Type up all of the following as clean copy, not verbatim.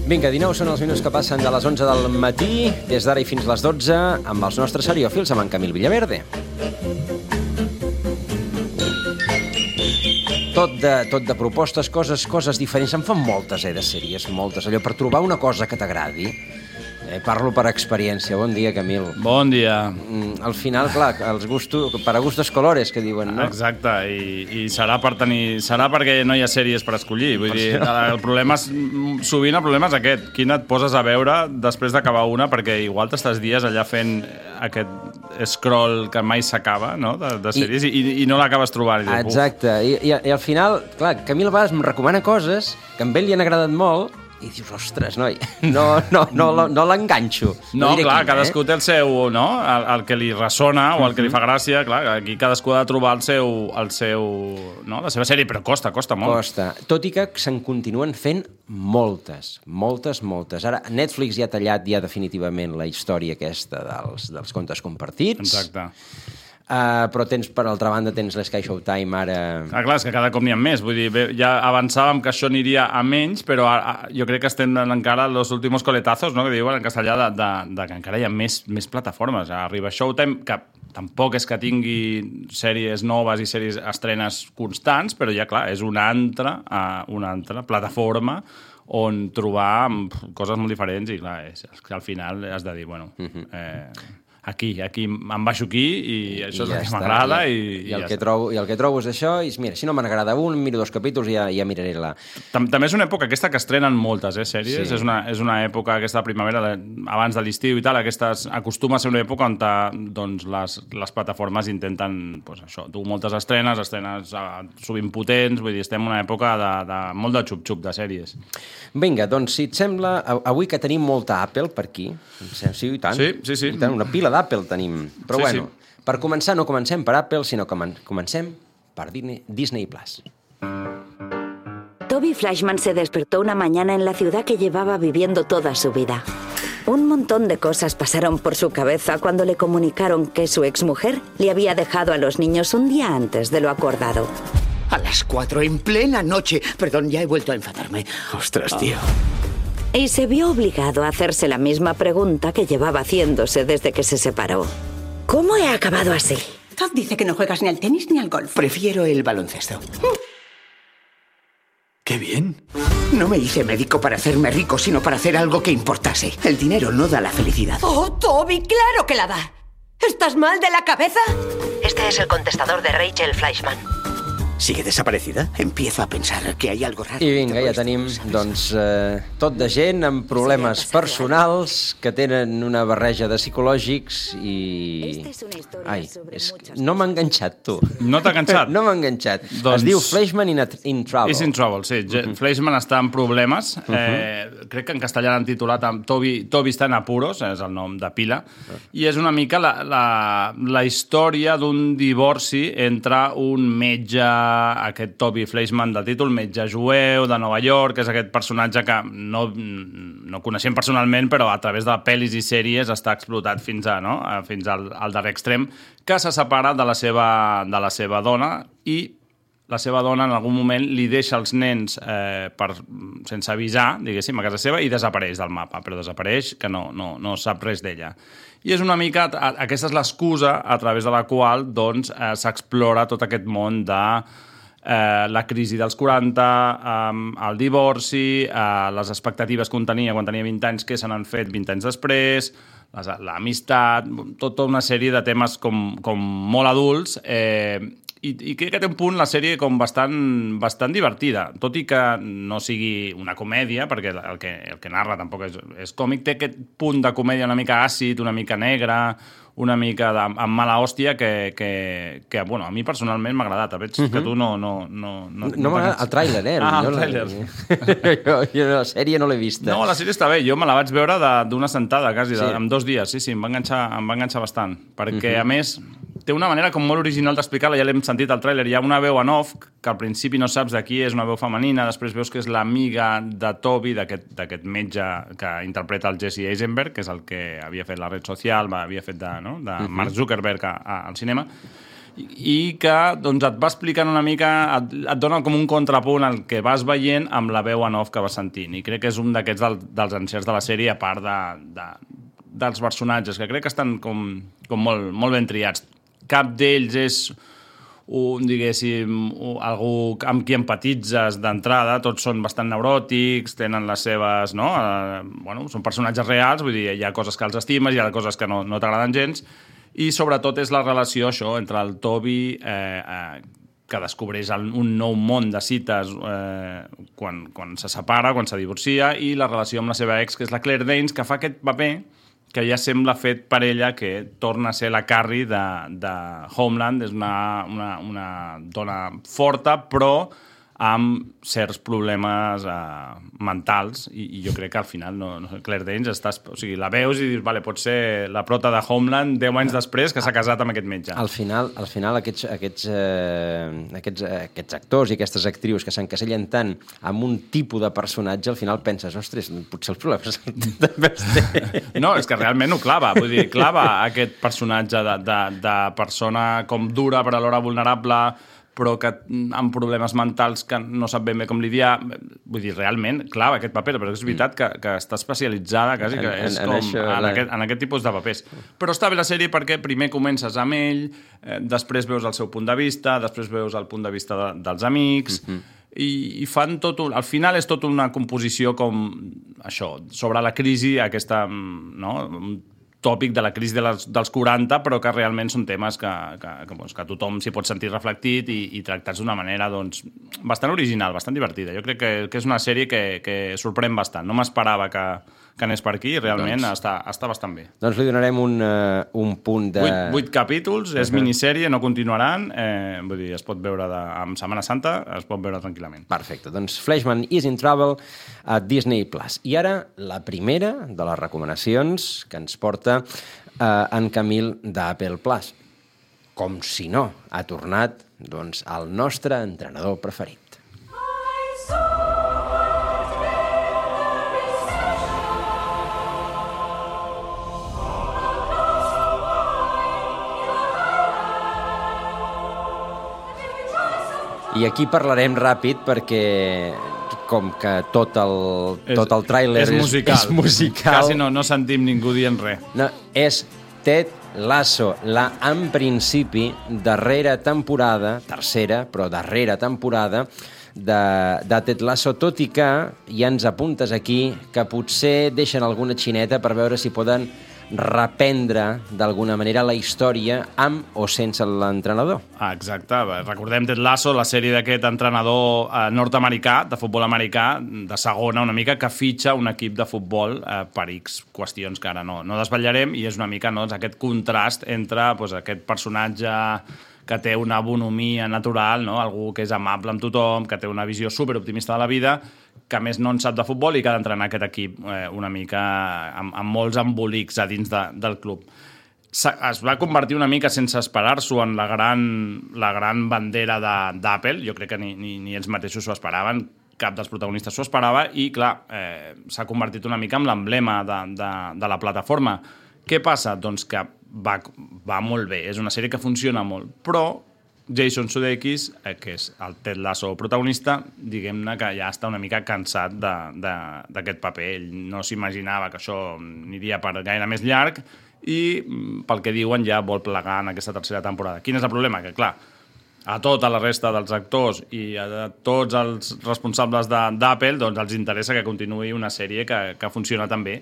Vinga, 19 són els minuts que passen de les 11 del matí, des d'ara i fins les 12, amb els nostres seriòfils, amb en Camil Villaverde. Tot de propostes, coses diferents. Em fan moltes, de sèries, moltes. Allò, per trobar una cosa que t'agradi, parlo per experiència. Bon dia, Camil. Bon dia. Al final, clar, per a gustos colores, que diuen, no? Exacte, i serà perquè no hi ha sèries per escollir. Vull dir, sovint el problema és aquest. Quina et poses a veure després d'acabar una, perquè igual t'estàs dies allà fent aquest scroll que mai s'acaba, no?, de sèries, i no l'acabes trobant. Exacte, i al final, clar, Camil a vegades em recomana coses que a ell li han agradat molt, i dius, ostres, noi, no l'enganxo. No, clar, cadascú té el seu, no?, el que li ressona o el que li fa gràcia. Clar, aquí cadascú ha de trobar la seva sèrie, però costa molt. Costa, tot i que se'n continuen fent moltes. Ara, Netflix ja ha tallat definitivament la història aquesta dels contes compartits. Exacte. Però per altra banda tens l'Sky Showtime ara... Clar, és que cada cop n'hi ha més. Vull dir, ja avançàvem que això aniria a menys, però jo crec que estem encara los últimos coletazos, no?, que diuen en castellà, que encara hi ha més plataformes. Arriba Showtime, que tampoc és que tingui sèries noves i sèries estrenes constants, però ja, clar, és una altra plataforma on trobar coses molt diferents i, clar, al final has de dir, bueno... Aquí, em baixo aquí i això és el que m'agrada i el que trobo és això i mira, si no m'agrada un, miro 2 capítols i ja miraré la... També és una època aquesta que estrenen moltes sèries, sí. És una època aquesta primavera, abans de l'estiu i tal, acostuma a ser una època on doncs, les plataformes intenten dur moltes estrenes sovint potents, vull dir, estem en una època de molt de xup-xup de sèries. Vinga, doncs si et sembla, avui que tenim molta Apple per aquí, sí, i tant, sí. I tant, una pila d'Apple tenim, però bueno, per començar no comencem per Apple, sinó que comencem per Disney Plus. Toby Flashman se despertó una mañana en la ciudad que llevaba viviendo toda su vida. Un montón de cosas pasaron por su cabeza cuando le comunicaron que su exmujer le había dejado a los niños un día antes de lo acordado. A las 4 en plena noche. Perdón, ya he vuelto a enfadarme. Ostras, tío. Y se vio obligado a hacerse la misma pregunta que llevaba haciéndose desde que se separó. ¿Cómo he acabado así? Todd dice que no juegas ni al tenis ni al golf. Prefiero el baloncesto. ¡Qué bien! No me hice médico para hacerme rico, sino para hacer algo que importase. El dinero no da la felicidad. ¡Oh, Toby, claro que la da! ¿Estás mal de la cabeza? Este es el contestador de Rachel Flashman. ¿Sigue desaparecida? Empiezo a pensar que hay algo raro. I vinga, ja tenim, doncs, tot de gent amb problemes personals que tenen una barreja de psicològics i... Ai, no m'ha enganxat, tu. No t'ha enganxat? No m'ha enganxat. Es diu Flashman in Trouble. És in Trouble, sí. Flashman està en problemes. Crec que en castellà l'han titulat amb Toby està en apuros, és el nom de pila, i és una mica la història d'un divorci entre un metge, aquest Toby Flashman del títol, metge jueu de Nova York, que és aquest personatge que no coneixem personalment, però a través de pel·lis i sèries està explotat fins al darrer extrem, que se separa de la seva dona i la seva dona en algun moment li deixa els nens sense avisar, diguéssim, a casa seva i desapareix del mapa, però desapareix que no sap res d'ella. I és una mica, aquesta és l'excusa a través de la qual doncs, s'explora tot aquest món de la crisi dels 40, el divorci, les expectatives que un tenia quan tenia 20 anys, que se n'han fet 20 anys després, l'amistat, tota una sèrie de temes com molt adults, i crec que té un punt la sèrie com bastant divertida, tot i que no sigui una comèdia, perquè el que narra tampoc és còmic, té aquest punt de comèdia una mica àcid, una mica negra, una mica amb mala hòstia que bueno, a mi personalment m'ha agradat. Veig que tu no m'ha agradat el tràiler, el tràiler. Jo la sèrie no l'he vista. No, la sèrie està bé. Jo me la vaig veure d'una sentada, quasi, en 2 dies. Sí, em va enganxar bastant. Perquè, a més, té una manera com molt original d'explicar-la, ja l'hem sentit al tràiler. Hi ha una veu en off, que al principi no saps de qui és, una veu femenina, després veus que és l'amiga de Toby, d'aquest metge que interpreta el Jesse Eisenberg, que és el que havia fet la red social, havia fet de Mark Zuckerberg al cinema, i que doncs, et va explicant una mica, et dona com un contrapunt al que vas veient amb la veu en off que vas sentint. I crec que és un d'aquests dels encerts de la sèrie, a part dels personatges, que crec que estan com molt, molt ben triats. Cap d'ells és algú amb qui empatitzes d'entrada, tots són bastant neuròtics, tenen les seves... No? Són personatges reals, vull dir, hi ha coses que els estimes, hi ha coses que no t'agraden gens, i sobretot és la relació entre el Toby, que descobreix un nou món de cites quan se separa, quan se divorcia, i la relació amb la seva ex, que és la Claire Danes, que fa aquest paper que ja sembla fet per ella, que torna a ser la Carrie de Homeland. És una dona forta, però amb certs problemes mentals, i jo crec que al final Claire Danes la veus i dius, vale, pot ser la prota de Homeland 10 anys després que s'ha casat amb aquest metge. Al final aquests actors i aquestes actrius que s'encasellen tant amb un tipus de personatge, al final penses, ostres, potser els problemes també els té. No, és que realment ho clava, vull dir, clava aquest personatge de persona com dura però alhora vulnerable, però que amb problemes mentals que no sap ben bé com lidiar. Vull dir, realment, clar, aquest paper, però és veritat que està especialitzada quasi, que és en aquest tipus de papers. Però està bé la sèrie perquè primer comences amb ell, després veus el seu punt de vista, després veus el punt de vista dels amics, i fan tot... Al final és tot una composició com això, sobre la crisi, aquesta... tòpic de la crisi dels 40, però que realment són temes que tothom s'hi pot sentir reflectit i tractats d'una manera bastant original, bastant divertida. Jo crec que és una sèrie que sorprèn bastant. No m'esperava que anés per aquí i realment està bastant bé. Doncs li donarem un punt de... 8 capítols, és minissèrie, no continuaran, vull dir, es pot veure en Setmana Santa, es pot veure tranquil·lament. Perfecte, doncs Fleischman is in Trouble a Disney+. I ara la primera de les recomanacions que ens porta en Camil d'Apple Plus. Com si no, ha tornat el nostre entrenador preferit. I aquí parlarem ràpid perquè com que tot el tràiler és musical. Quasi no sentim ningú dient res. No, és Ted Lasso, en principi, darrera temporada, tercera, però darrera temporada de Ted Lasso, tot i que ja ens apuntes aquí que potser deixen alguna xineta per veure si poden reprendre d'alguna manera la història amb o sense l'entrenador. Exacte. Recordem Ted Lasso, la sèrie d'aquest entrenador nord-americà, de futbol americà, de segona una mica, que fitxa un equip de futbol per X qüestions que ara no desvetllarem, i és una mica aquest contrast entre aquest personatge que té una bonomia natural, algú que és amable amb tothom, que té una visió superoptimista de la vida, que a més no en sap de futbol i que ha d'entrenar aquest equip una mica amb molts embolics a dins del club. Es va convertir una mica sense esperar-s'ho en la gran bandera d'Apple. Jo crec que ni ells mateixos s'ho esperaven, cap dels protagonistes s'ho esperava, i clar, s'ha convertit una mica en l'emblema de la plataforma. Què passa? Doncs que va molt bé, és una sèrie que funciona molt, però Jason Sudeikis, que és el Ted Lasso protagonista, diguem-ne que ja està una mica cansat d'aquest paper. Ell no s'imaginava que això aniria per gaire més llarg i, pel que diuen, ja vol plegar en aquesta tercera temporada. Quin és el problema? Que, clar, a tota la resta dels actors i a tots els responsables d'Apple els interessa que continuï una sèrie que funciona tan bé.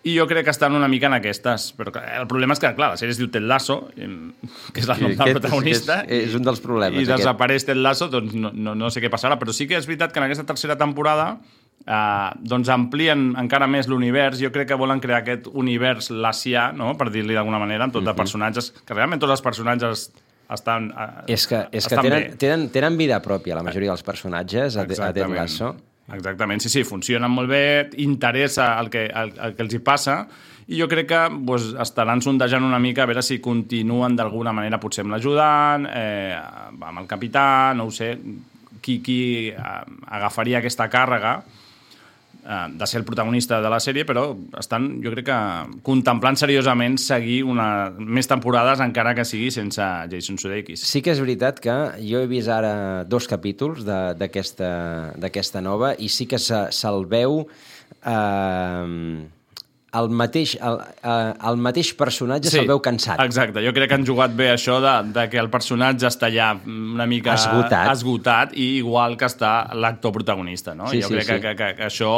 I jo crec que estan una mica en aquestes. Però el problema és que, clar, la sèrie es diu Ted Lasso, que és el nom del protagonista. És un dels problemes. I desapareix Ted Lasso, doncs no sé què passarà. Però sí que és veritat que en aquesta tercera temporada amplien encara més l'univers. Jo crec que volen crear aquest univers lassià, no?, per dir-li d'alguna manera, amb tot de personatges, que realment tots els personatges estan tenen vida pròpia, la majoria dels personatges, a Ted Lasso. Exactament, sí, funcionen molt bé, interessa el que els hi passa, i jo crec que estaran sondejant una mica a veure si continuen d'alguna manera, potser amb l'ajudant, amb el capità, no ho sé, qui agafaria aquesta càrrega. de ser el protagonista de la sèrie, però estan, jo crec que, contemplant seriosament seguir més temporades, encara que sigui sense Jason Sudeikis. Sí que és veritat que jo he vist ara 2 capítols d'aquesta nova i sí que se'l veu el mateix personatge se'l veu cansat. Exacte, jo crec que han jugat bé això de que el personatge està ja una mica esgotat i igual que està l'actor protagonista, no? Jo crec que això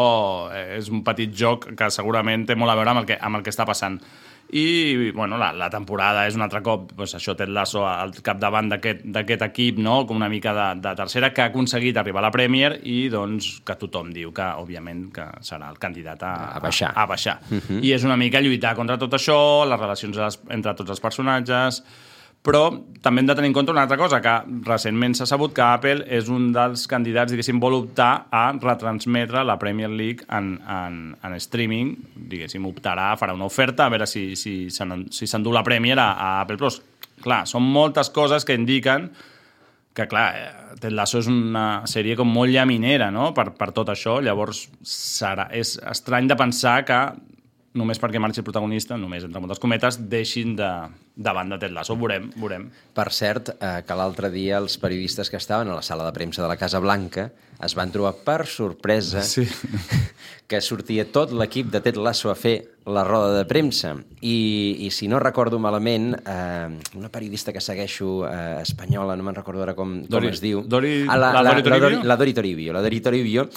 és un petit joc que segurament té molt a veure amb el que està passant. I, bueno, la temporada és un altre cop, doncs això, Ted Lasso al capdavant d'aquest equip, no?, com una mica de tercera, que ha aconseguit arribar a la Premier i, doncs, que tothom diu que, òbviament, que serà el candidat a baixar. I és una mica lluitar contra tot això, les relacions entre tots els personatges, però també hem de tenir en compte una altra cosa, que recentment s'ha sabut que Apple és un dels candidats, diguéssim, vol optar a retransmetre la Premier League en streaming, diguéssim, optarà, farà una oferta, a veure si s'endú la Premier a Apple Plus. Clar, són moltes coses que indiquen que, clar, Ted Lasso és una sèrie com molt llaminera, no?, per tot això. Llavors, és estrany de pensar que només perquè marxi el protagonista, només entre moltes cometes, deixin de banda Ted Lasso. Veurem. Per cert, que l'altre dia els periodistes que estaven a la sala de premsa de la Casa Blanca es van trobar per sorpresa que sortia tot l'equip de Ted Lasso a fer la roda de premsa. I si no recordo malament, una periodista que segueixo espanyola, no me'n recordo ara com es diu. La Dori Toribio,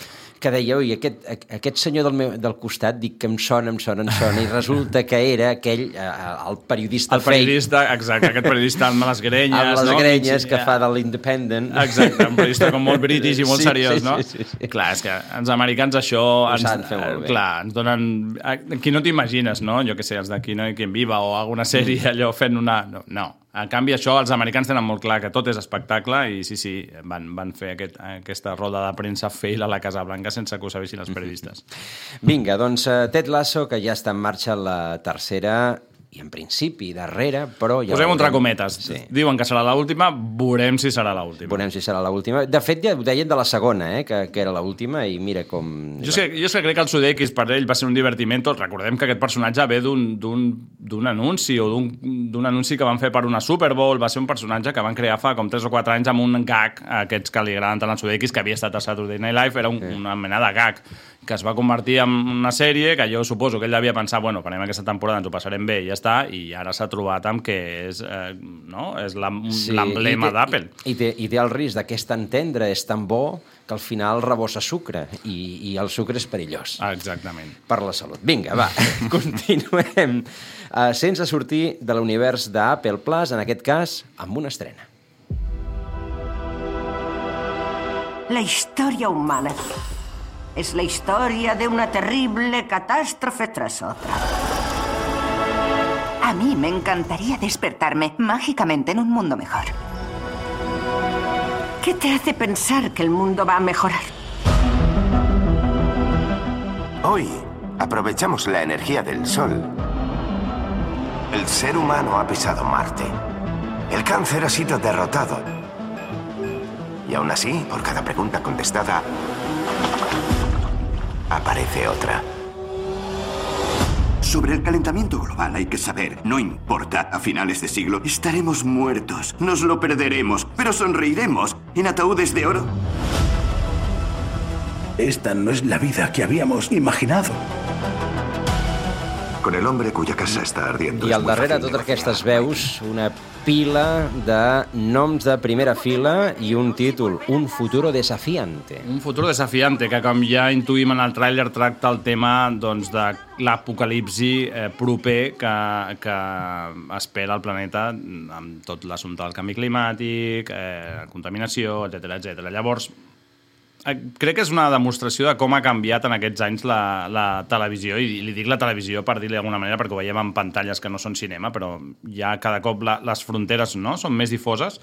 que deia, oi, aquest senyor del costat, dic que em sona, i resulta que era aquell, el periodista fake. El periodista, exacte, aquest periodista amb les grenyes, no? Amb les grenyes que fa de l'Independent. Exacte, un periodista com molt british i molt seriós, no? Sí. Clar, és que els americans això saben fer molt bé. Clar, ens donen... Aquí no t'imagines, no? Jo què sé, els d'aquí no hi quien viva o alguna sèrie allò fent una... No. En canvi, això, els americans tenen molt clar que tot és espectacle i sí, van fer aquesta roda de premsa fail a la Casa Blanca sense que ho sabessin els periodistes. Vinga, doncs Ted Lasso, que ja està en marxa la tercera i en principi darrere, però... ja posem entre cometes. Sí. Diuen que serà l'última, veurem si serà l'última. De fet, ja ho deien de la segona, que era l'última, i mira com... Jo crec que el Sudeikis per ell va ser un divertiment. Recordem que aquest personatge ve d'un anunci o d'un anunci que van fer per una Super Bowl. Va ser un personatge que van crear fa com 3 o 4 anys amb un gag, aquests que li agraden tant al Sudeikis, que havia estat a Saturday Night Live, era una mena de gag que es va convertir en una sèrie que jo suposo que ell devia pensar, bueno, farem aquesta temporada, ens ho passarem bé i ja està, i ara s'ha trobat amb que és l'emblema d'Apple. I té el risc de que és tan tendre, és tan bo, que al final rebossa sucre, i el sucre és perillós. Exactament. Per la salut. Vinga, va, continuem. Sense sortir de l'univers d'Apple Plus, en aquest cas, amb una estrena. La historia humana es la historia de una terrible catástrofe tras otra. A mí me encantaría despertarme mágicamente en un mundo mejor. ¿Qué te hace pensar que el mundo va a mejorar? Hoy aprovechamos la energía del sol. El ser humano ha pisado Marte. El cáncer ha sido derrotado. Y aún así, por cada pregunta contestada, aparece otra. Sobre el calentamiento global hay que saber, no importa, a finales de siglo estaremos muertos, nos lo perderemos, pero sonreiremos en ataúdes de oro. Esta no es la vida que habíamos imaginado. Con el hombre cuya casa està ardiendo. I al darrere totes aquestes veus, una pila de noms de primera fila i un títol, Un futuro desafiante. Un futuro desafiante, que com ja intuïm en el tràiler tracta el tema doncs, de l'apocalipsi proper que espera el planeta amb tot l'assumpte del canvi climàtic, contaminació, etc. Llavors, crec que és una demostració de com ha canviat en aquests anys la televisió, i li dic la televisió per dir-li d'alguna manera perquè ho veiem en pantalles que no són cinema, però ja cada cop les fronteres són més difoses,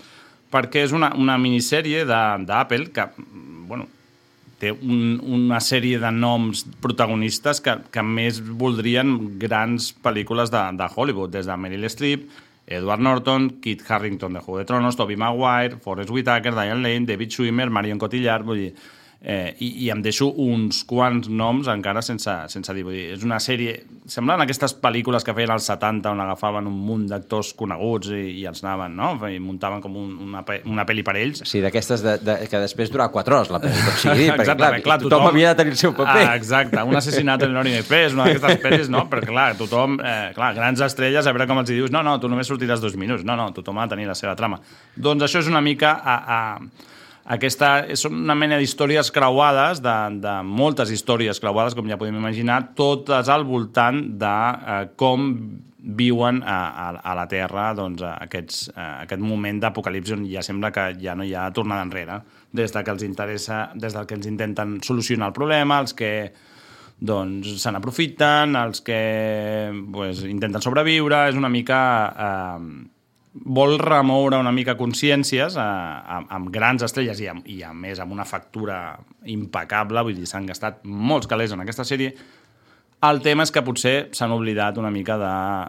perquè és una minissèrie d'Apple que, bueno, té una sèrie de noms protagonistes que més voldrien grans pel·lícules de Hollywood, des de Meryl Streep, Edward Norton, Kit Harington de Juego de Tronos, Tobey Maguire, Forest Whitaker, Diane Lane, David Schwimmer, Marion Cotillard, vull dir, i em deixo uns quants noms encara sense dir. Vull dir, és una sèrie... Semblen aquestes pel·lícules que feien als 70 on agafaven un munt d'actors coneguts i els anaven, no? I muntaven com una pel·li per ells. Sí, d'aquestes que després durava 4 hores la pel·li, tot sigui dit, perquè clar, tothom havia de tenir el seu paper. Exacte, un assassinat en l'Orient Express, una d'aquestes pel·lis, no? Perquè clar, tothom, grans estrelles, a veure com els dius, no, tu només sortiràs 2 minuts, no, tothom ha de tenir la seva trama. Doncs això és una mica són una mena d'històries creuades, de moltes històries creuades, com ja podem imaginar, totes al voltant de com viuen a la Terra doncs, aquest moment d'apocalipsi on ja sembla que ja no hi ha tornada enrere, des del que els intenten solucionar el problema, els que doncs, se n'aprofiten, els que intenten sobreviure, és una mica... vol remoure una mica consciències amb grans estrelles i a més amb una factura impecable, vull dir, s'han gastat molts calés en aquesta sèrie. El tema és que potser s'han oblidat una mica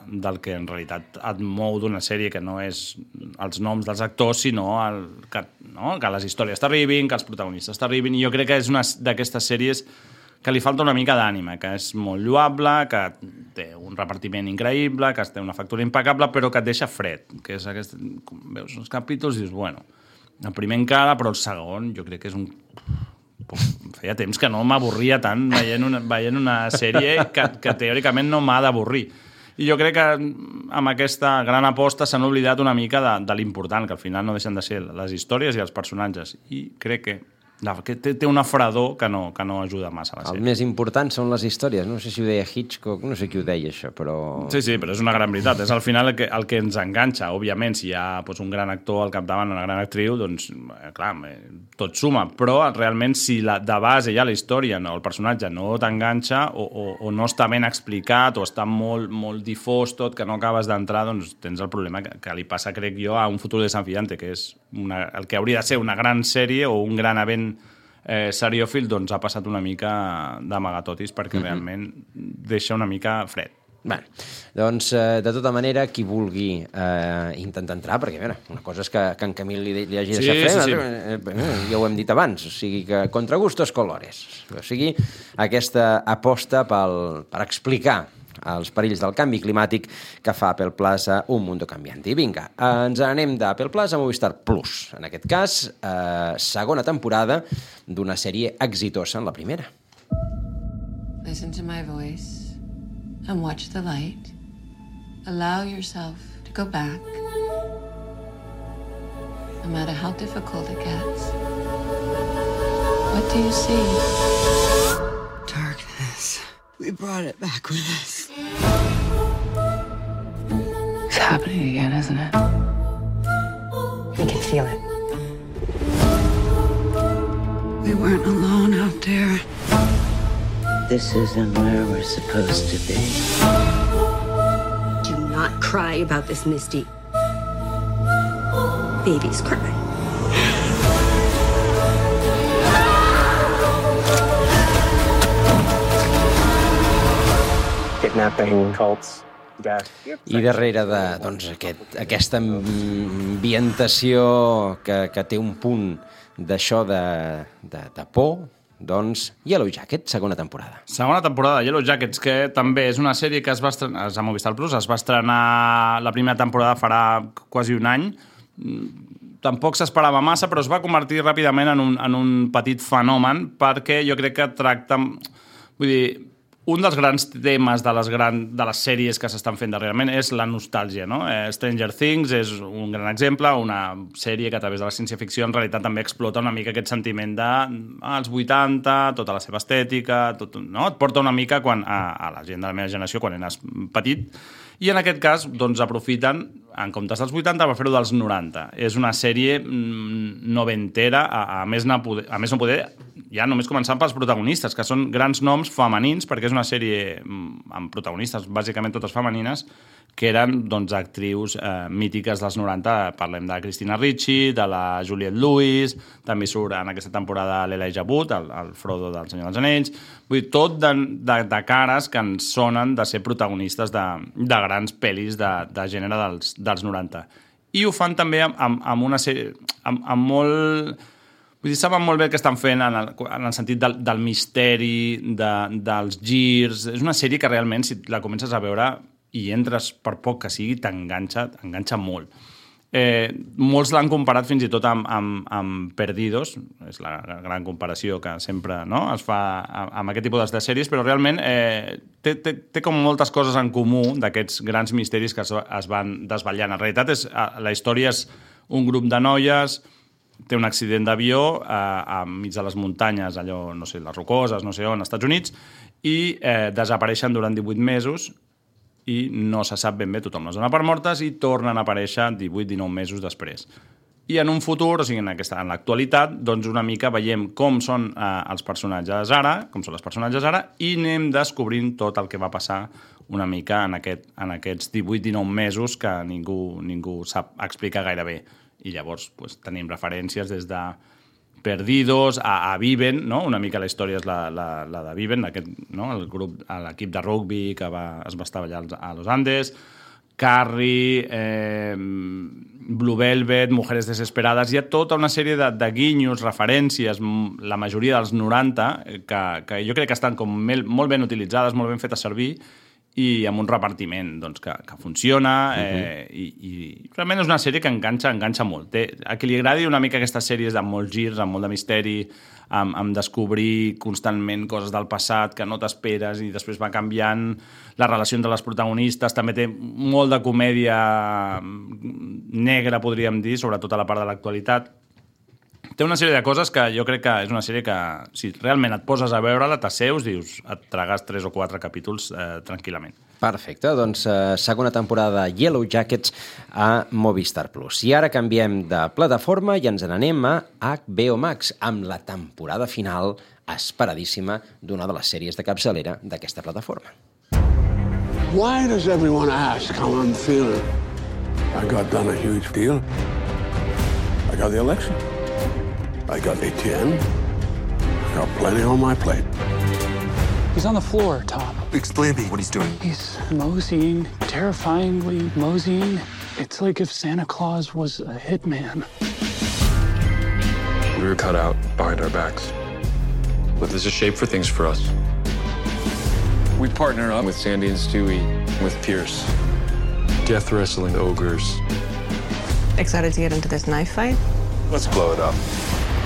del que en realitat et mou d'una sèrie, que no és els noms dels actors, sinó que les històries t'arribin, que els protagonistes t'arribin, i jo crec que és una d'aquestes sèries que li falta una mica d'ànima, que és molt lloable, que té un repartiment increïble, que té una factura impecable, però que et deixa fred. Que és aquest... Veus els capítols i dius, bueno, el primer encara, però el segon jo crec que és un... Feia temps que no m'avorria tant veient una sèrie que teòricament no m'ha d'avorrir. I jo crec que amb aquesta gran aposta s'han oblidat una mica de l'important, que al final no deixen de ser les històries i els personatges. I crec que té una fredor que no ajuda massa a la sèrie. El més important són les històries. No sé si ho deia Hitchcock, no sé qui ho deia, això, però... Sí, però és una gran veritat. És al final el que ens enganxa. Òbviament, si hi ha un gran actor al capdavant, una gran actriu, doncs, clar, tot suma. Però realment, si de base ja la història o el personatge no t'enganxa o no està ben explicat o està molt, molt difós tot, que no acabes d'entrar, doncs tens el problema que li passa, crec jo, a Un futuro desafiante, que és el que hauria de ser una gran sèrie o un gran event seriòfil, doncs ha passat una mica d'amagatotis perquè realment deixa una mica fred. Bé, doncs, de tota manera, qui vulgui intentar entrar, perquè, a veure, una cosa és que en Camil li hagi deixat fred, ja ho hem dit abans, o sigui que contra gustos colores, o sigui, aquesta aposta per explicar els perills del canvi climàtic que fa Apple Plus a Un Mundo Cambiante. I vinga, ens anem d'Apple Plus a Movistar Plus. En aquest cas, segona temporada d'una sèrie exitosa en la primera. Listen to my voice and watch the light. Allow yourself to go back, no matter how difficult it gets. What do you see? Darkness. We brought it back with us. It's happening again, isn't it? We can feel it. We weren't alone out there. This isn't where we're supposed to be. Do not cry about this, Misty. Babies cry. Kidnapping, cults, death. I darrere aquesta ambientació que té un punt d'això de por, doncs Yellow Jacket, segona temporada. Segona temporada de Yellow Jackets, que també és una sèrie que es va estrenar a Movistar Plus, es va estrenar la primera temporada farà quasi un any. Tampoc s'esperava massa, però es va convertir ràpidament en un petit fenomen, perquè jo crec que tracta... Vull dir, un dels grans temes de les sèries que s'estan fent darrerament és la nostàlgia, no? Stranger Things és un gran exemple, una sèrie que a través de la ciència-ficció en realitat també explota una mica aquest sentiment dels 80, tota la seva estètica, no? Et porta una mica a la gent de la meva generació quan eres petit, i en aquest cas doncs, aprofiten, en comptes dels 80, per fer-ho dels 90. És una sèrie noventera, a més no poder, ja només començant pels protagonistes, que són grans noms femenins, perquè és una sèrie amb protagonistes bàsicament totes femenines, que eren doncs, actrius mítiques dels 90. Parlem de Christina Ricci, de la Juliette Lewis, també surt en aquesta temporada l'Elijah Wood, el Frodo del Senyor dels Anells. Vull dir, tot de cares que ens sonen de ser protagonistes de grans pel·lis de gènere dels 90. I ho fan també amb una sèrie amb Vull dir, saben molt bé el que estan fent en el sentit del misteri, dels girs. És una sèrie que realment, si la comences a veure i entres per poc que sigui, t'enganxa molt. Molts l'han comparat fins i tot amb Perdidos, és la gran comparació que sempre es fa amb aquest tipus de sèries, però realment té com moltes coses en comú d'aquests grans misteris que es van desvetllant. En realitat, la història és un grup de noies, té un accident d'avió enmig de les muntanyes, allò, no sé, les Rocoses, no sé on, als Estats Units, i desapareixen durant 18 mesos i no se sap ben bé, tothom les dona per mortes i tornen a aparèixer 18-19 mesos després. I en un futur, o sigui, en l'actualitat, doncs una mica veiem com són els personatges ara, i anem descobrint tot el que va passar una mica en aquests 18-19 mesos que ningú sap explicar gaire bé. I llavors tenim referències des de Perdidos a Viven, no? Una mica la història és la de Viven, el grup, l'equip de rugby que es va estar allà a Los Andes, Carrie, Blue Velvet, Mujeres Desesperades. Hi ha tota una sèrie de guinyos, referències, la majoria dels 90, que jo crec que estan com molt ben utilitzades, molt ben fetes servir, i amb un repartiment que funciona, i realment és una sèrie que enganxa molt. A qui li agradi una mica aquestes sèries amb molts girs, amb molt de misteri, amb descobrir constantment coses del passat que no t'esperes i després va canviant la relació entre les protagonistes, també té molt de comèdia negra, podríem dir, sobretot a la part de l'actualitat. Té una sèrie de coses que jo crec que és una sèrie que, si realment et poses a veure-la, t'asseus, dius, et tragues 3 o 4 capítols tranquil·lament. Perfecte, doncs segona temporada de Yellow Jackets a Movistar Plus. I ara canviem de plataforma i ens n'anem a HBO Max amb la temporada final esperadíssima d'una de les sèries de capçalera d'aquesta plataforma. Why does everyone ask how I'm feeling? I got done a huge deal. I got the election. I got ATN. I got plenty on my plate. He's on the floor, Tom. Explain to me what he's doing. He's moseying, terrifyingly moseying. It's like if Santa Claus was a hitman. We were cut out behind our backs. But there's a shape for things for us. We partner up with Sandy and Stewie, with Pierce. Death wrestling ogres. Excited to get into this knife fight? Let's blow it up.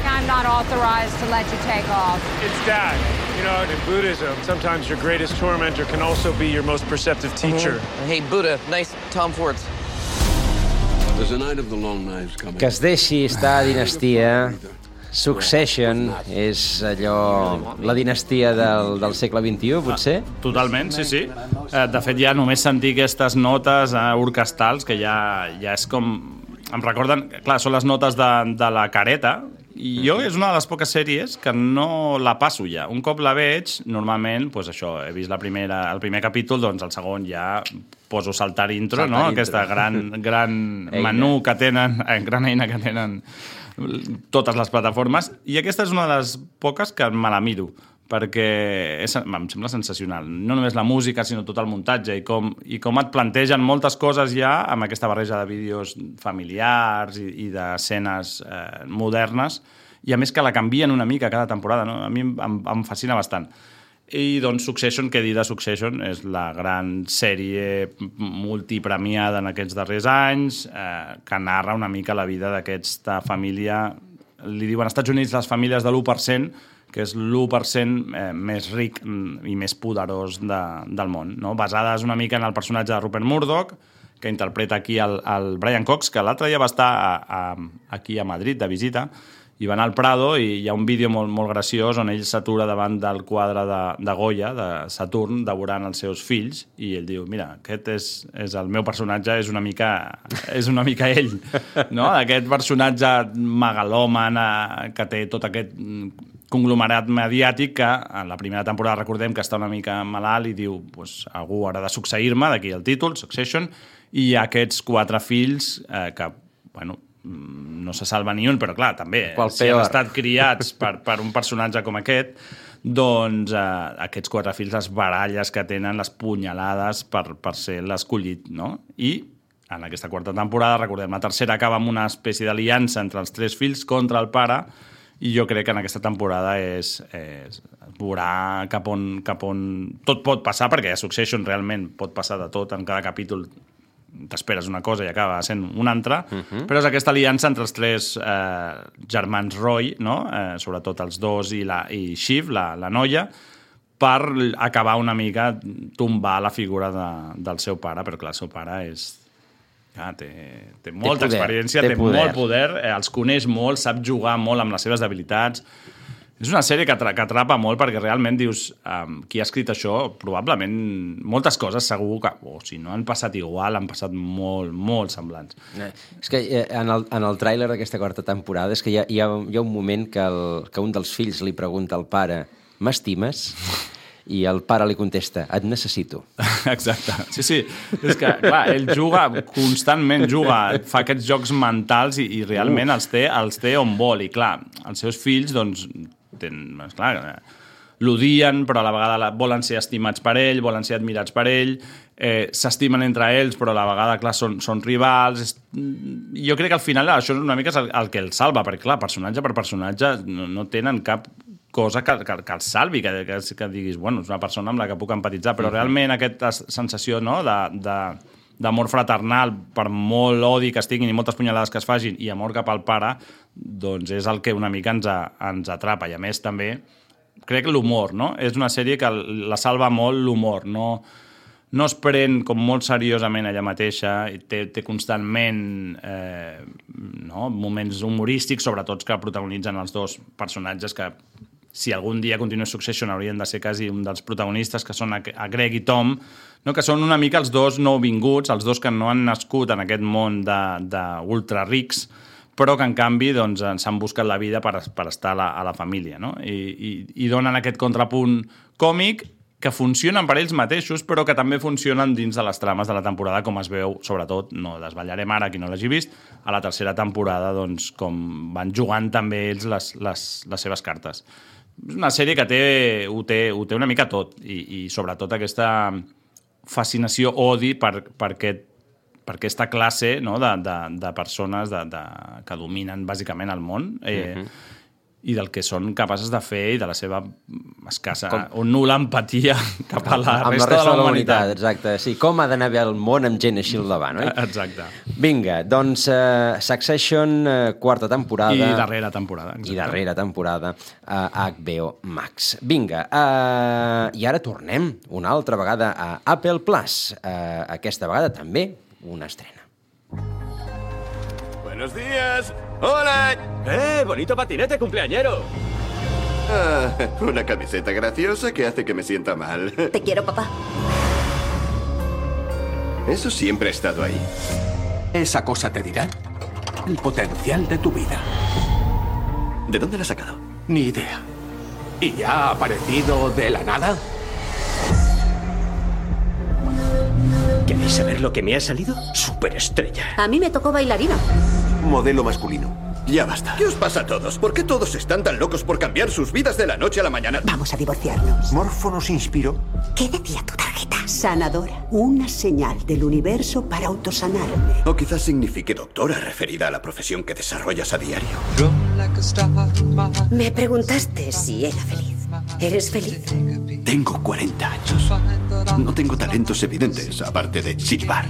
I'm not authorized to let you take off. It's that. You know, in Buddhism, sometimes your greatest tormentor can also be your most perceptive teacher. Hey, Buddha, nice Tom Fords. There's a night of the long knives coming. Que es deixi estar a Dinastia. Succession és allò... la dinastia del segle XXI, potser? Totalment, sí. De fet, ja només sentir aquestes notes orquestrals, que ja és com... Em recorden... Clar, són les notes de la careta, i jo és una de les poques sèries que no la passo ja. Un cop la veig, normalment, doncs això, he vist el primer capítol, doncs el segon ja poso saltar intro, no? Aquesta gran menú que tenen, gran eina que tenen totes les plataformes, i aquesta és una de les poques que me la miro, perquè em sembla sensacional. No només la música, sinó tot el muntatge, i com et plantegen moltes coses ja amb aquesta barreja de vídeos familiars i d'escenes modernes, i a més que la canvien una mica cada temporada, no? A mi em fascina bastant. I doncs Succession, què dir de Succession? És la gran sèrie multipremiada en aquests darrers anys, que narra una mica la vida d'aquesta família, li diuen als Estats Units les famílies de l'1%, que és l'1% més ric i més poderós del món, no? Basades una mica en el personatge de Rupert Murdoch, que interpreta aquí el Brian Cox, que l'altre dia va estar aquí a Madrid de visita, i va anar al Prado i hi ha un vídeo molt graciós on ell s'atura davant del quadre de Goya, de Saturn, devorant els seus fills, i ell diu, mira, aquest és el meu personatge, és una mica ell, no? Aquest personatge megalòman que té tot aquest conglomerat mediàtic que en la primera temporada recordem que està una mica malalt i diu, pues, algú haurà de succeir-me, d'aquí el títol, Succession, i hi ha aquests 4 fills que, bueno, no se salva ni un, però clar, també, si han estat criats per un personatge com aquest, doncs aquests 4 fills, les baralles que tenen, les punyalades per ser l'escollit, no? I en aquesta quarta temporada, recordem, la tercera acaba amb una espècie d'aliança entre els 3 fills contra el pare, i jo crec que en aquesta temporada es veurà cap on tot pot passar, perquè a Succession realment pot passar de tot, en cada capítol t'esperes una cosa i acaba sent una altra, però és aquesta aliança entre els tres germans Roy, no? Sobretot els dos i Shiv, la noia, per acabar una mica tombar la figura del seu pare, però clar, el seu pare té molta experiència, té molt poder, els coneix molt, sap jugar molt amb les seves debilitats. És una sèrie que atrapa molt perquè realment dius, qui ha escrit això, probablement moltes coses segur que, si no han passat igual, han passat molt, molt semblants. És que en el tràiler d'aquesta quarta temporada és que hi ha un moment que un dels fills li pregunta al pare, m'estimes? I el pare li contesta, et necessito. Exacte. Sí. És que, clar, ell constantment fa aquests jocs mentals i realment els té on vol. I, clar, els seus fills, doncs, l'odien, però a la vegada volen ser estimats per ell, volen ser admirats per ell, s'estimen entre ells, però a la vegada, clar, són rivals. Jo crec que al final això és una mica el que el salva, perquè, clar, personatge per personatge no tenen cap cosa que el salvi, que diguis, bueno, és una persona amb la que puc empatitzar, però realment aquesta sensació, no?, d'amor fraternal, per molt odi que estiguin i moltes punyalades que es facin, i amor cap al pare, doncs és el que una mica ens atrapa. I a més també, crec que l'humor, no? És una sèrie que la salva molt l'humor, no es pren com molt seriosament ella mateixa, té constantment moments humorístics, sobretot que protagonitzen els dos personatges que, si algun dia continua Succession, haurien de ser quasi un dels protagonistes, que són a Greg i Tom, no? Que són una mica els dos nouvinguts, els dos que no han nascut en aquest món d'ultra rics, però que en canvi s'han buscat la vida per estar a la família, no? I donen aquest contrapunt còmic que funcionen per ells mateixos, però que també funcionen dins de les trames de la temporada, com es veu, sobretot, no desvetllarem ara, qui no l'hagi vist, a la tercera temporada, doncs, com van jugant també ells les seves cartes. És una sèrie que ho té una mica tot, i sobretot aquesta fascinació, odi per aquesta classe, no?, de persones que dominen bàsicament el món, i del que són capaces de fer i de la seva escassa o nul·la empatia cap a la resta de la humanitat. Exacte, sí, com ha d'anar bé el món amb gent així al davant, oi? Exacte. Vinga, doncs Succession, quarta temporada. I darrera temporada. Exacte. I darrera temporada a HBO Max. Vinga, i ara tornem una altra vegada a Apple Plus. Aquesta vegada també una estrena. ¡Buenos días! ¡Hola! ¡Bonito patinete cumpleañero! Una camiseta graciosa que hace que me sienta mal. Te quiero, papá. Eso siempre ha estado ahí. Esa cosa te dirá el potencial de tu vida. ¿De dónde la has sacado? Ni idea. ¿Y ya ha aparecido de la nada? ¿Queréis saber lo que me ha salido? Superestrella. A mí me tocó bailarina. Modelo masculino. Ya basta. ¿Qué os pasa a todos? ¿Por qué todos están tan locos por cambiar sus vidas de la noche a la mañana? Vamos a divorciarnos. Morfo nos inspiró. ¿Qué decía tu tarjeta? Sanadora. Una señal del universo para autosanarme. O quizás signifique doctora, referida a la profesión que desarrollas a diario. Me preguntaste si era feliz. ¿Eres feliz? Tengo 40 años. No tengo talentos evidentes, aparte de silbar.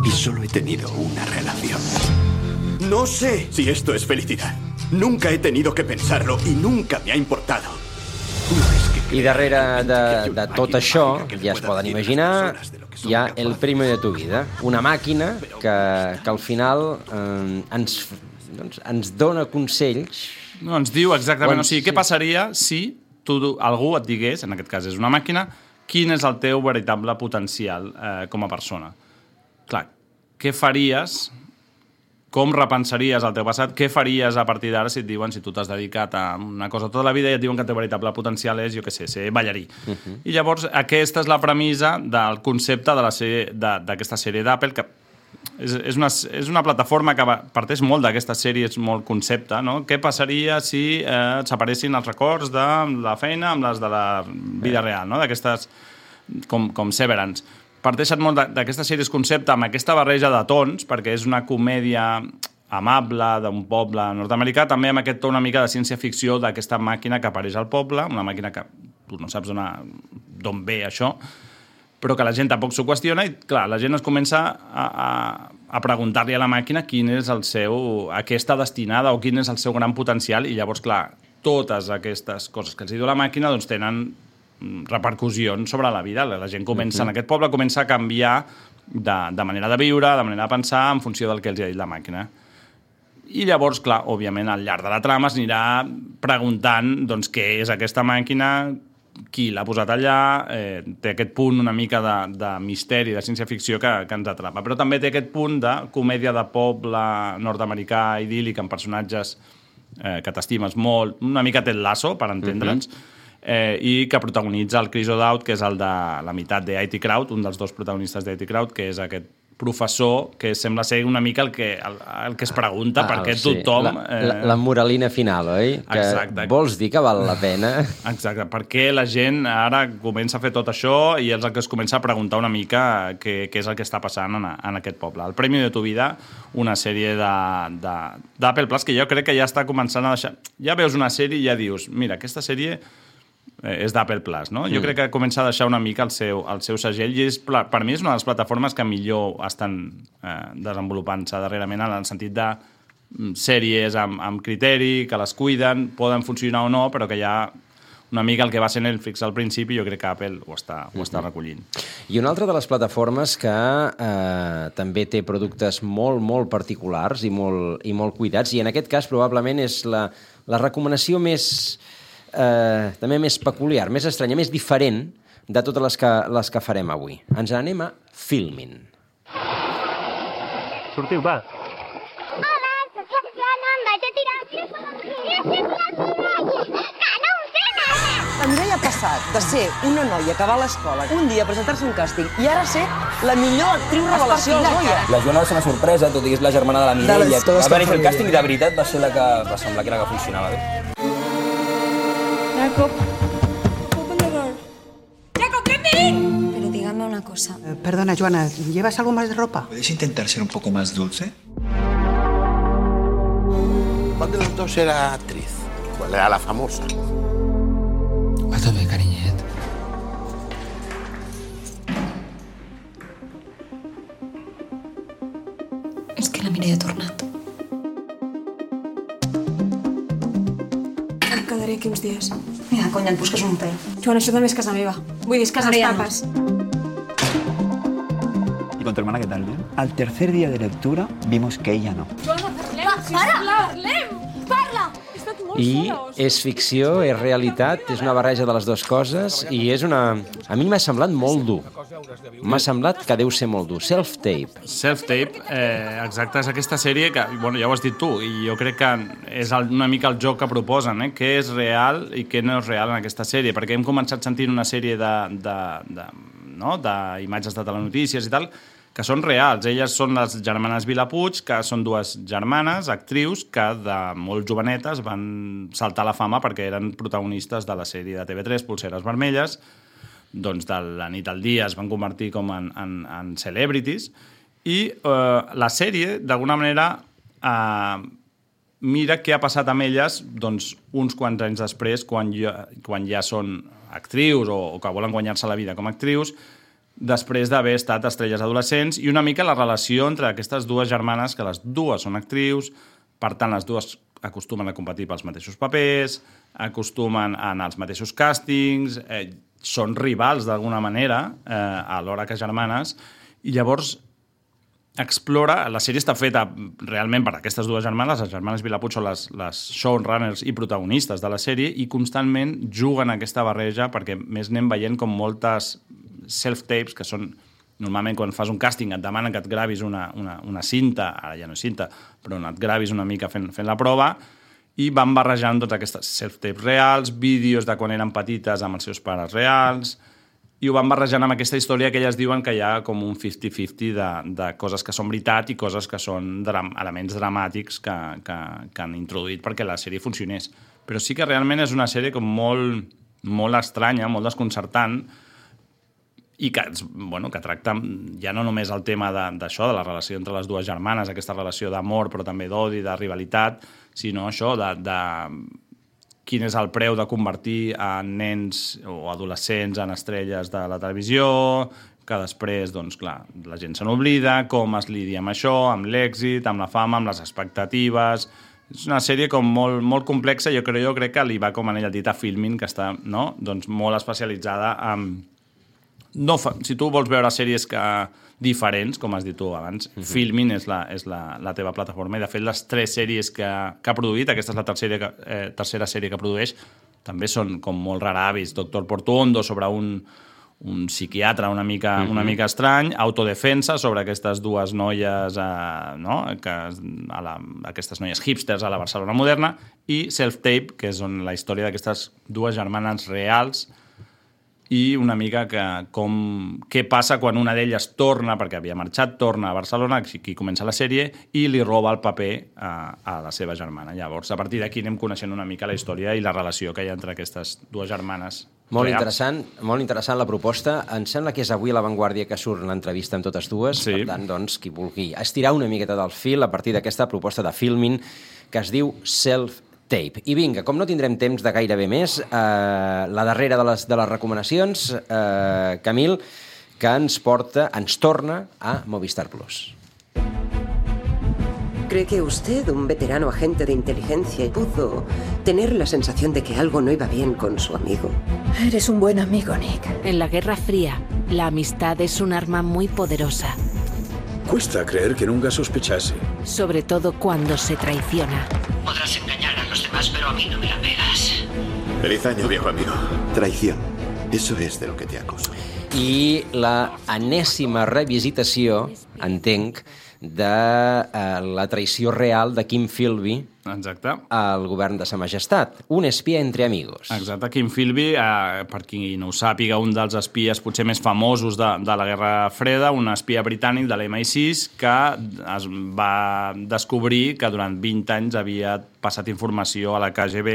Y solo he tenido una relación. No sé si esto es felicidad. Nunca he tenido que pensarlo y nunca me ha importado. I darrere de tot això, ja es poden imaginar, hi ha El premio de tu vida, una màquina que al final ens dona consells. No, ens diu exactament, o sigui, què passaria si algú et digués, en aquest cas és una màquina, quin és el teu veritable potencial com a persona. Clar, què faries, com repensaries el teu passat, què faries a partir d'ara si et diuen, si tu t'has dedicat a una cosa tota la vida i et diuen que el teu veritable potencial és, jo què sé, ser ballarí. I llavors aquesta és la premissa del concepte d'aquesta sèrie d'Apple, que és una plataforma que parteix molt d'aquesta sèrie, és molt concepte, no? Què passaria si s'aparessin els records de la feina amb les de la vida real, no? D'aquestes, com Severance. Parteixen molt d'aquesta sèrie concepte amb aquesta barreja de tons, perquè és una comèdia amable d'un poble nord-americà, també amb aquest to una mica de ciència-ficció d'aquesta màquina que apareix al poble, una màquina que tu no saps d'on ve això, però que la gent tampoc s'ho qüestiona i, clar, la gent es comença a preguntar-li a la màquina quin és el seu, a què està destinada o quin és el seu gran potencial i llavors, clar, totes aquestes coses que els diu la màquina doncs tenen repercussions sobre la vida. La gent comença, en aquest poble, comença a canviar de manera de viure, de manera de pensar en funció del que els ha dit la màquina. I llavors, clar, òbviament, al llarg de la trama s'anirà preguntant doncs, què és aquesta màquina, qui l'ha posat allà, té aquest punt una mica de misteri, de ciència-ficció que ens atrapa. Però també té aquest punt de comèdia de poble nord-americà idíl·lic amb personatges que t'estimes molt, una mica Ted Lasso, per entendre'ns, i que protagonitza el Chris O'Dowd, que és el de la meitat de IT Crowd, un dels dos protagonistes de IT Crowd, que és aquest professor que sembla ser una mica el que es pregunta per què tothom... La moralina final, oi? Exacte. Que vols dir que val la pena? Exacte. Per què la gent ara comença a fer tot això i és el que es comença a preguntar una mica què és el que està passant en aquest poble. El Premio de tu vida, una sèrie d'Apple Plus que jo crec que ja està començant a deixar... Ja veus una sèrie i ja dius, mira, aquesta sèrie és d'Apple Plus, no? Jo crec que comença a deixar una mica el seu segell i per mi és una de les plataformes que millor estan desenvolupant-se darrerament en el sentit de sèries amb criteri, que les cuiden, poden funcionar o no, però que ja una mica el que va ser Netflix al principi, jo crec que Apple ho està recollint. I una altra de les plataformes que també té productes molt, molt particulars i molt cuidats, i en aquest cas probablement és la recomanació també més peculiar, més estranya, més diferent de totes les que farem avui. Ens anem a Filmin. Sortiu, va. Hola, soc la Fiona, em vaig a tirar. Que no ho sé nada! La Mireia ha passat de ser una noia que va a l'escola un dia a presentar-se a un càsting i ara ser la millor actriu revelació al Goya. La Joana va ser una sorpresa, tot i que és la germana de la Mireia. Va venir a fer el càsting i de veritat va ser la que va semblar que era que funcionava bé. Jacob, open the door. Jacob, let me in. Pero dígame una cosa. Perdona, Joana, ¿llevas algo más de ropa? ¿Puedes intentar ser un poco más dulce? ¿Cuál de los dos era actriz? ¿Cuál era la famosa? A tope, cariñet. És que la Mireia ha tornat. Em quedaré aquí uns dies. Mira, conya, et busques un pèl. Joan, això també és casa meva. Vull dir, és casa Maria, papes. ¿Y con tu hermana qué tal, bien? Al tercer día de lectura vimos que ella no. Joana, parlem! Parla! He estat molt I sola, és ficció, és realitat, és una barreja de les dues coses i és una... A mi m'ha semblat molt dur. M'ha semblat que deu ser molt dur. Self-tape. Self-tape, exacte, és aquesta sèrie que, bueno, ja ho has dit tu, i jo crec que és una mica el joc que proposen, què és real i què no és real en aquesta sèrie, perquè hem començat sentint una sèrie d'imatges de telenotícies i tal, que són reals. Elles són les germanes Vilapuig, que són dues germanes, actrius, que de molt jovenetes van saltar a la fama perquè eren protagonistes de la sèrie de TV3, Polseres Vermelles, doncs de la nit al dia es van convertir com en celebrities, i la sèrie, d'alguna manera, mira què ha passat amb elles doncs, uns quants anys després, quan ja són actrius o que volen guanyar-se la vida com a actrius, després d'haver estat estrelles adolescents, i una mica la relació entre aquestes dues germanes, que les dues són actrius, per tant, les dues acostumen a competir pels mateixos papers, acostumen a anar als mateixos càstings, són rivals d'alguna manera, alhora que germanes, i llavors explora... La sèrie està feta realment per aquestes dues germanes, les germanes Vilapuig són les showrunners i protagonistes de la sèrie, i constantment juguen aquesta barreja, perquè més anem veient com moltes self-tapes, que són normalment quan fas un càsting et demanen que et gravis una cinta, ara ja no és cinta, però et gravis una mica fent la prova, i van barrejant totes aquestes self-tapes reals, vídeos de quan eren petites amb els seus pares reals, i ho van barrejant amb aquesta història que elles diuen que hi ha com un 50-50 de coses que són veritat i coses que són elements dramàtics que han introduït perquè la sèrie funcionés. Però sí que realment és una sèrie com molt estranya, molt desconcertant, i que tracta ja no només el tema d'això, de la relació entre les dues germanes, aquesta relació d'amor, però també d'odi, de rivalitat, sinó això de quin és el preu de convertir nens o adolescents en estrelles de la televisió, que després, doncs, clar, la gent se n'oblida, com es lidia amb això, amb l'èxit, amb la fama, amb les expectatives. És una sèrie com molt complexa, jo crec que li va com anell al dit a Filmin, que està doncs molt especialitzada en... Si tu vols veure sèries diferents, com has dit tu abans, Filmin és la teva plataforma, i de fet les 3 sèries que ha produït, aquesta és la tercera sèrie que produeix, també són com molt raravis. Doctor Portuondo, sobre un psiquiatre una mica estrany, Autodefensa, sobre aquestes dues noies, aquestes noies hipsters a la Barcelona moderna, i Self-Tape, que és la història d'aquestes dues germanes reals, i una mica què passa quan una d'elles torna, perquè havia marxat, torna a Barcelona, aquí comença la sèrie, i li roba el paper a la seva germana. Llavors, a partir d'aquí anem coneixent una mica la història i la relació que hi ha entre aquestes dues germanes. Molt interessant la proposta. Em sembla que és avui a La Vanguardia que surt l'entrevista amb totes dues. Sí. Per tant, doncs, qui vulgui estirar una miqueta del fil a partir d'aquesta proposta de Filmin que es diu Self-Tape. I vinga, com no tindrem temps de gairebé més, la darrera de les recomanacions, Camil, que ens torna a Movistar Plus. ¿Cree que usted, un veterano agente de inteligencia, pudo tener la sensación de que algo no iba bien con su amigo? Eres un buen amigo, Nick. En la Guerra Fría, la amistad es un arma muy poderosa. Cuesta creer que nunca sospechase. Sobre todo cuando se traiciona. Podrás engañar a los demás, pero a mí no me la pegas. Feliz año, viejo amigo. Traición. Eso es de lo que te acuso. I la enèsima revisitació, entenc, de la traïció real de Kim Philby al govern de Sa Majestat. Un espia entre amigos. Exacte. Kim Philby, per qui no ho sàpiga, un dels espies potser més famosos de la Guerra Freda, un espia britànic de l'MI6 que es va descobrir que durant 20 anys havia passat informació a la KGB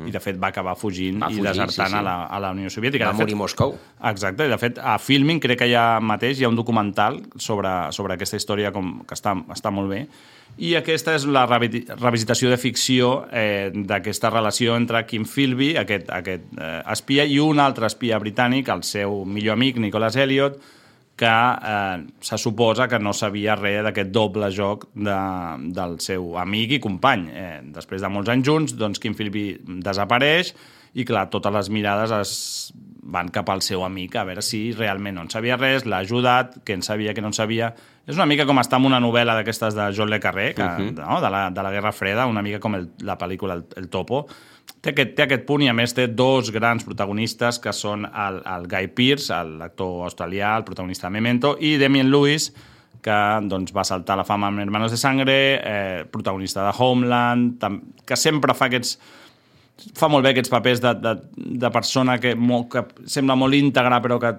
i, de fet, va acabar fugint i desertant a la Unió Soviètica. Va morir a Moscou. Exacte. I, de fet, a Filmin crec que ja mateix hi ha un documental sobre aquesta història que està molt bé. I aquesta és la revisitació de ficció d'aquesta relació entre Kim Philby, aquest espia, i un altre espia britànic, el seu millor amic, Nicholas Elliot, que se suposa que no sabia res d'aquest doble joc del seu amic i company. Després de molts anys junts, doncs Kim Philby desapareix i, clar, totes les mirades es van cap al seu amic a veure si realment no en sabia res, l'ha ajudat, què en sabia, què no en sabia. És una mica com estar en una novel·la d'aquestes de John le Carré, de la Guerra Freda, una mica com la pel·lícula El Topo. Té aquest punt i, a més, té 2 grans protagonistes, que són el Guy Pearce, l'actor australià, el protagonista de Memento, i Damian Lewis, que doncs, va saltar la fama amb Hermanos de Sangre, protagonista de Homeland, que sempre fa molt bé aquests papers de persona que sembla molt íntegra, però que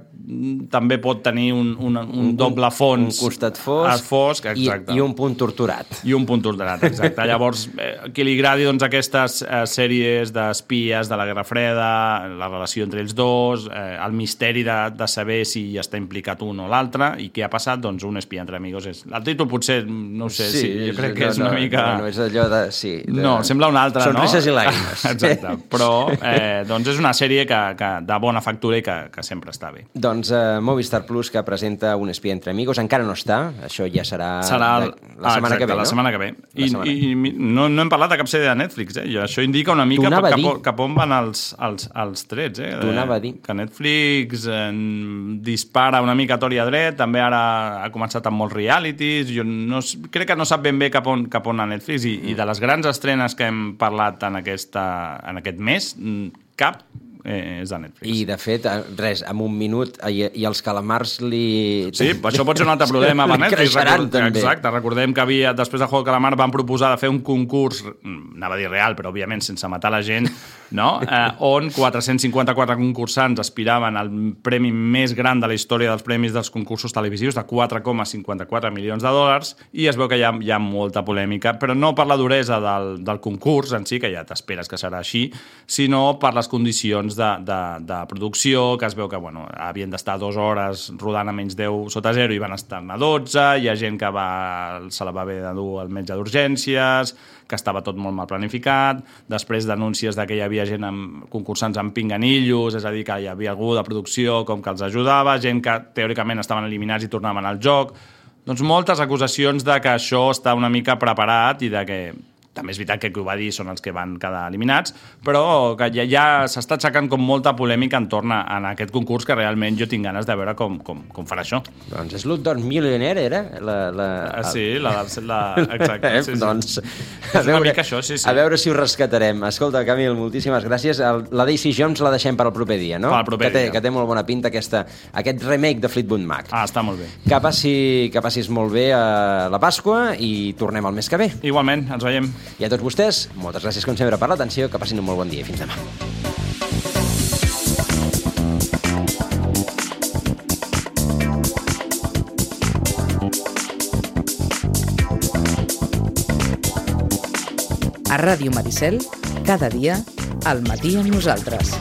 també pot tenir un doble fons. Un costat fosc i un punt torturat. I un punt torturat, exacte. Llavors, qui li agradi aquestes sèries d'espies de la Guerra Freda, la relació entre ells dos, el misteri de saber si hi està implicat un o l'altre i què ha passat, doncs Un espia entre amigos és... El títol potser, no ho sé, jo crec que és una mica... No, és allò de... No, sembla un altre, no? Sonrises i làgrimes. Exacte, però doncs és una sèrie de bona factura i que sempre està bé. Doncs Movistar Plus, que presenta Un espia entre amigos, encara no està, això ja serà la setmana que ve, no? La setmana que ve. I no hem parlat de cap sèrie de Netflix, i això indica una mica cap on van els trets. T'ho anava a dir. Que Netflix dispara una mica a tort i a dret, també ara ha començat amb molts realities, crec que no sap ben bé cap on a Netflix, i de les grans estrenes que hem parlat en aquest mes, cap és de Netflix. I, de fet, res, en un minut, i els calamars li... Sí, això pot ser un altre problema per Netflix. Creixeran, també. Exacte, recordem que després de Juego de Calamar van proposar de fer un concurs, anava a dir real, però òbviament sense matar la gent, no? On 454 concursants aspiraven al premi més gran de la història dels premis dels concursos televisius, de 4,54 milions de dòlars, i es veu que hi ha molta polèmica, però no per la duresa del concurs en si, que ja t'esperes que serà així, sinó per les condicions curs de producció, que es veu que havien d'estar 2 hores rodant a menys 10 sota 0 i van estar-ne 12, hi ha gent que se la va haver de dur al metge d'urgències, que estava tot molt mal planificat, després denúncies que hi havia gent concursants amb pinganillos, és a dir, que hi havia algú de producció com que els ajudava, gent que teòricament estaven eliminats i tornaven al joc. Doncs moltes acusacions de que això està una mica preparat i de que també és veritat que qui ho va dir són els que van quedar eliminats, però que ja s'està aixecant com molta polèmica entorn a aquest concurs que realment jo tinc ganes de veure com farà això. Doncs Slumdog Millionaire era? Sí, exacte. Sí. Doncs és una mica això, sí. A veure si ho rescatarem. Escolta, Camil, moltíssimes gràcies. La Daisy Jones la deixem per al proper dia, no? Per al proper dia. Que té molt bona pinta aquest remake de Fleetwood Mac. Està molt bé. Que passis molt bé a la Pasqua i tornem el mes que ve. Igualment, ens veiem. I a tots vostès, moltes gràcies com sempre per l'atenció, que passin un molt bon dia i fins demà. A Ràdio Maricel, cada dia, al matí amb nosaltres.